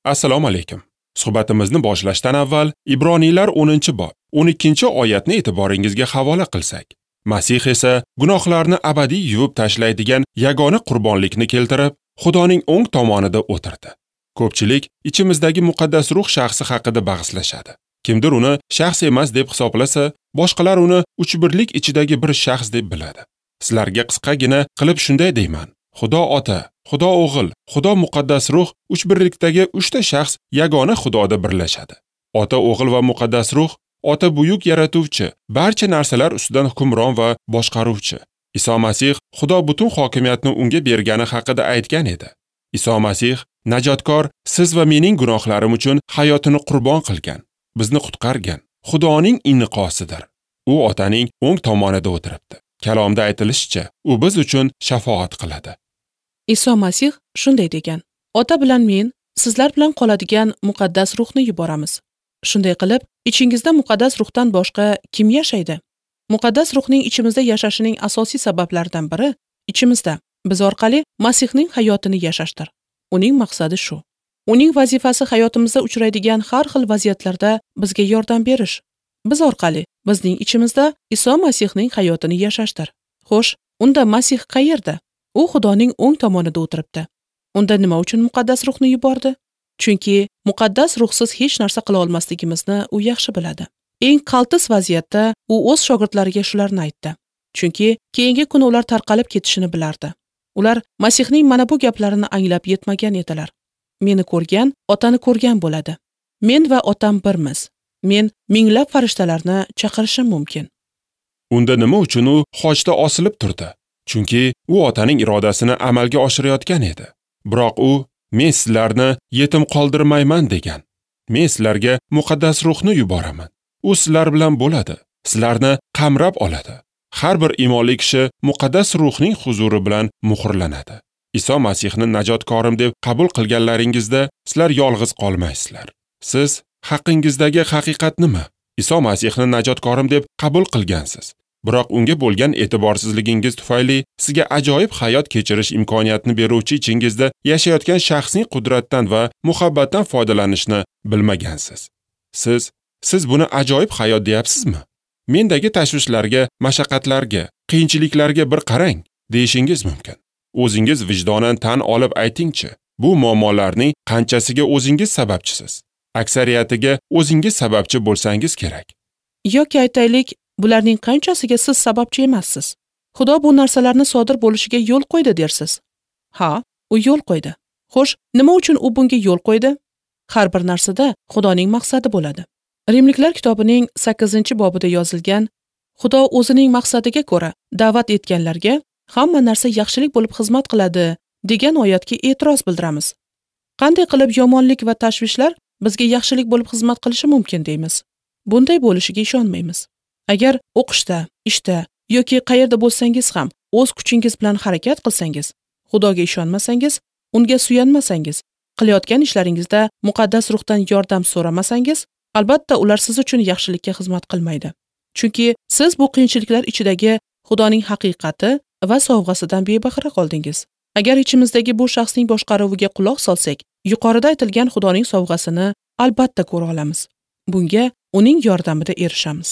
Assalomu alaykum. Suhbatimizni boshlashdan avval Ibroniylar 10-bob 12-oyatni e'tiboringizga havola qilsak. Masih esa gunohlarni abadiy yuvib tashlaydigan yagona qurbonlikni keltirib, Xudoning o'ng tomonida o'tirdi. Ko'pchilik ichimizdagi muqaddas ruh shaxsi haqida bahslashadi. Kimdir uni shaxs emas deb hisoblasa, boshqalar uni uchbirlik ichidagi bir shaxs deb biladi. Sizlarga qisqagina qilib shunday deyman. Xudo Ota, Xudo O'g'il, Xudo Muqaddas Ruh uchbirlikdagi uchta shaxs yagona Xudoda birlashadi. Ota, O'g'il va Muqaddas Ruh Ota buyuk yaratuvchi, barcha narsalar ustidan hukmron va boshqaruvchi. Iso Masih Xudo butun hokimiyatni unga bergani haqida aytgan edi. Iso Masih najotkor, siz va mening gunohlarim uchun hayotini qurbon qilgan, bizni qutqargan Xudoning inqosidir. U Otaning o'ng tomonida o'tiribdi. Kalomda aytilishicha, u biz uchun shafoat qiladi. Iso Masih shunday degan: Ota bilan men sizlar bilan qoladigan muqaddas ruhni yuboramiz. Shunday qilib, ichingizda muqaddas ruhdan boshqa kim yashaydi? Muqaddas ruhning ichimizda yashashining asosiy sabablaridan biri ichimizda biz orqali Masihning hayotini yashashdir. Uning maqsadi shu. Uning vazifasi hayotimizda uchraydigan har xil vaziyatlarda bizga yordam berish. Biz orqali bizning ichimizda Iso Masihning hayotini yashashdir. Xo'sh, unda Masih qayerda? U Xudoning o'ng tomonida o'tiribdi. Unda nima uchun muqaddas ruhni yubordi? Chunki muqaddas ruhsiz hech narsa qila olmasligimizni u yaxshi biladi. Eng qaltis vaziyatda u o'z shogirdlariga shularni aytdi. Chunki keyingi kuni ular tarqalib ketishini bilardi. Ular Masihning mana bu gaplarini anglab yetmagan edilar. Meni ko'rgan, Otani ko'rgan bo'ladi. Men va Otam birmiz. Men minglab farishtalarni chaqirishim mumkin. Unda nima uchun u xochda osilib turdi? Chunki u Otaning irodasini amalga oshirayotgan edi. Biroq u men sizlarni yetim qoldirmayman degan. Men sizlarga muqaddas ruhni yuboraman. U sizlar bilan bo'ladi, sizlarni qamrab oladi. Har bir iymonli kishi muqaddas ruhning huzuri bilan muhrlanadi. Iso Masihni najotkorim deb qabul qilganlaringizda sizlar yolg'iz qolmaysizlar. Siz haqingizdagi haqiqat nima? Iso Masihni najotkorim deb qabul qilgansiz. Biroq unga bo'lgan e'tiborsizligingiz tufayli sizga ajoyib hayot kechirish imkoniyatini beruvchi ichingizda yashayotgan shaxsning qudratdan va muhabbatdan foydalanishni bilmagansiz. Siz buni ajoyib hayot deyapsizmi? Mendagi tashvishlarga, mashaqqatlarga, qiyinchiliklarga bir qarang deyishingiz mumkin. O'zingiz vijdonan tan olib aytingchi, bu muammolarning qanchasiga o'zingiz sababchisiz? Aksariyatiga o'zingiz sababchi bo'lsangiz kerak. Yoki aytaylik, bularning qanchasiga siz sababchi emassiz? Xudo bu narsalarni sodir bo'lishiga yo'l qo'ydi dersiz. Ha, u yo'l qo'ydi. Xo'sh, nima uchun u bunga yo'l qo'ydi? Har bir narsada Xudoning maqsadi bo'ladi. Rimliklar kitobining 8-bobida yozilgan, Xudo o'zining maqsadiga ko'ra da'vat etganlarga hamma narsa yaxshilik bo'lib xizmat qiladi degan oyatga e'tiroz bildiramiz. Qanday qilib yomonlik va tashvishlar bizga yaxshilik bo'lib xizmat qilishi mumkin deymiz? Bunday bo'lishiga ishonmaymiz. Agar o'qishda, ishda yoki qayerda bo'lsangiz ham o'z kuchingiz bilan harakat qilsangiz, Xudoga ishonmasangiz, unga suyanmasangiz, qilayotgan ishlaringizda muqaddas ruhdan yordam so'ramasangiz, albatta ular siz uchun yaxshilikka xizmat qilmaydi. Chunki siz bu qiyinchiliklar ichidagi Xudoning haqiqati va sovg'asidan bebahra qoldingiz. Agar ichimizdagi bu shaxsning boshqaruviga quloq solsak, yuqorida aytilgan Xudoning sovg'asini albatta ko'ra olamiz. Bunga uning yordamida erishamiz.